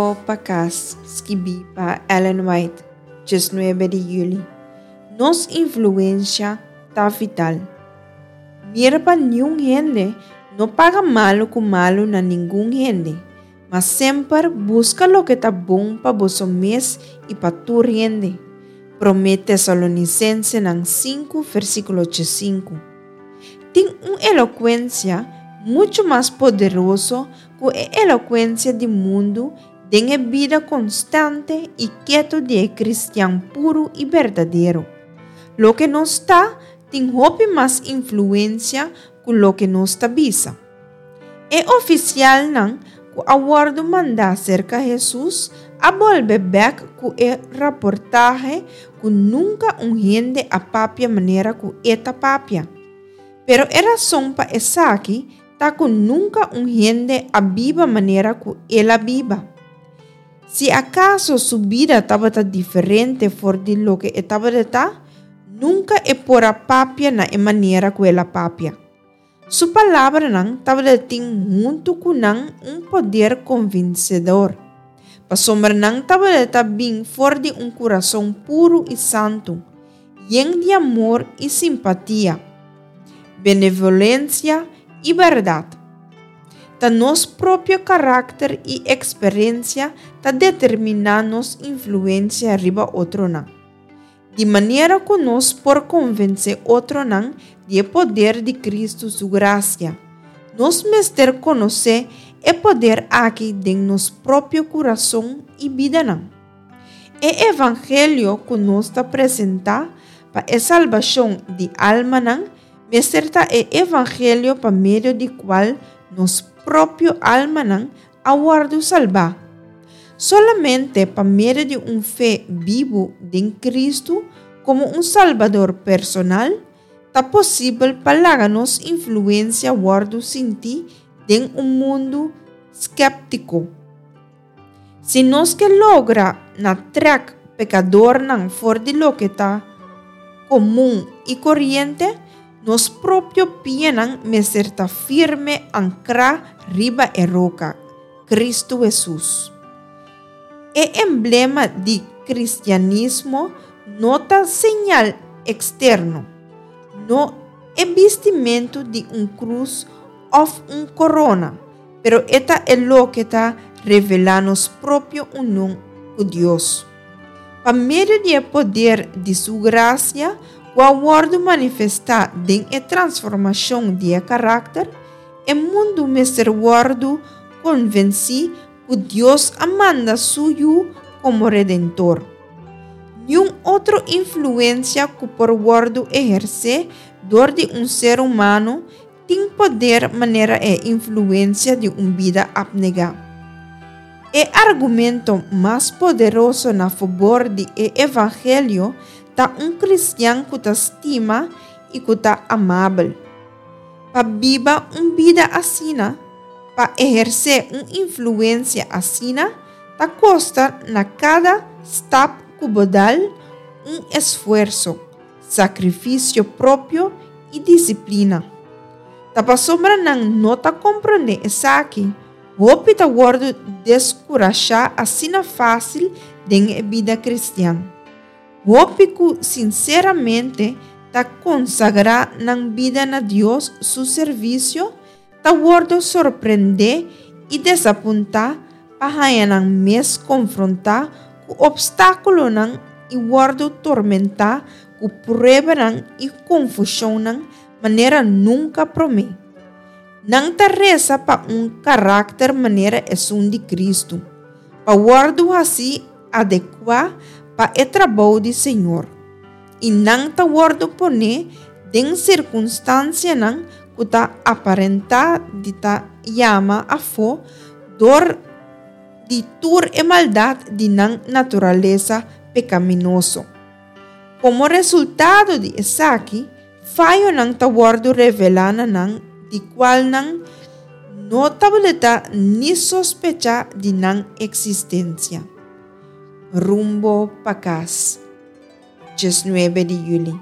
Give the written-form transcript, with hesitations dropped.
Rumbo pa kas, skibí pa Ellen White, 19 di yüli. Nos influensha ta vital. Mira pa niun hende no paga malu ku malu na ningun hende, ma semper buska loke ta bon pa boso mes i pa tur hende. Promé Tesalonisensenan 5 versíkulo 5. Tin un elokuensia muchu mas poderoso ku e elokuensia di mundu den e bida konstante i ketu di e kristian puru i berdadero. Loke nos ta tin hopi mas influensia ku loke nos ta bisa. E ofisialnan ku a wòrdu mandá serka Hesus a bolbe bèk ku e raportahe ku nunka un hende a papia manera ku e ta papia. Pero e rason pa esaki ta ku nunka un hende a biba manera ku el a biba. Si akaso su bida tabata diferente for di loke e tabata ta, nunka e por a papia na e manera ku el a papia. Su palabranan tabata tin huntu ku nan un poder konvensedor, pasobra nan tabata bin for di un kurason puru i santu, yen di amor i simpatia, benevolensia i bèrdat. Ta nos propio karakter i eksperensia ta determiná nos influensia riba otronan. Di manera ku nos por konvensé otronan di e poder di Kristu su grasia, nos mester konosé e poder aki den nos propio kurason i bidanan. E evangelio ku nos ta presentá pa e salbashon di almanan mester ta e evangelio pa medio di kual nos propio almanan a wòrdu salbá. Solamente pa medio di un fe bibu den Kristu komo un Salbador personal, ta posibel pa laga nos influensia wòrdu sintí den un mundu skèptiko. Si nos ke logra na trèk pekadornan for di loke ta komun i koriente, Nos propio pianan mester ta firme ankrá riba e roka, Kristu Hesus. E emblema di kristianismo no ta señal eksterno, no e bistimentu di un krus òf un korona, pero e ta e loke ta revelá nos propio union ku Dios. Pa medio di e poder di Su grasia ku a wòrdu manifestá den e transformashon di e karakter, e mundu mester wòrdu konvensí ku Dios a manda Su Yu komo Redentor. Niun otro influensia ku por wòrdu ehersé dor di un ser humano Tin poder manera e influencia di un bida abnegá. E argumento mas poderoso na fabor di e evangelio ta un cristian cu ta stima y cu ta amabel. Pa biba un bida asina, pa ehercé un influencia asina, ta costa na cada stap cu bo dal un esfuerso. Sakrifisio propio i disiplina. Ta pasobra nan no ta komprondé esaki, hopi ta wòrdu deskurashá asina fásil den e bida kristian. Hopi ku sinseramente ta konsagrá nan bida na Dios su servisio ta wòrdu sorprendé i desapuntá pa haña nan mes konfrontá ku opstákulonan i wòrdu tormentá ku pruebanan i konfushonnan manera nunka promé. Nan ta resa pa un karakter manera esun di Kristu, pa wòrdu hasí adekuá pa e trabou di Señor, i nan ta wòrdu poné den sirkunstansianan ku ta aparentá di ta yama afó dor di tur e maldat di nan naturalesa pekaminoso. Komo resultado di esaki, fayonan ta wòrdu revelá na nan di kual nan no tabata ni sospechá di nan eksistensia. Rumbo pa kas, 19 di yüli.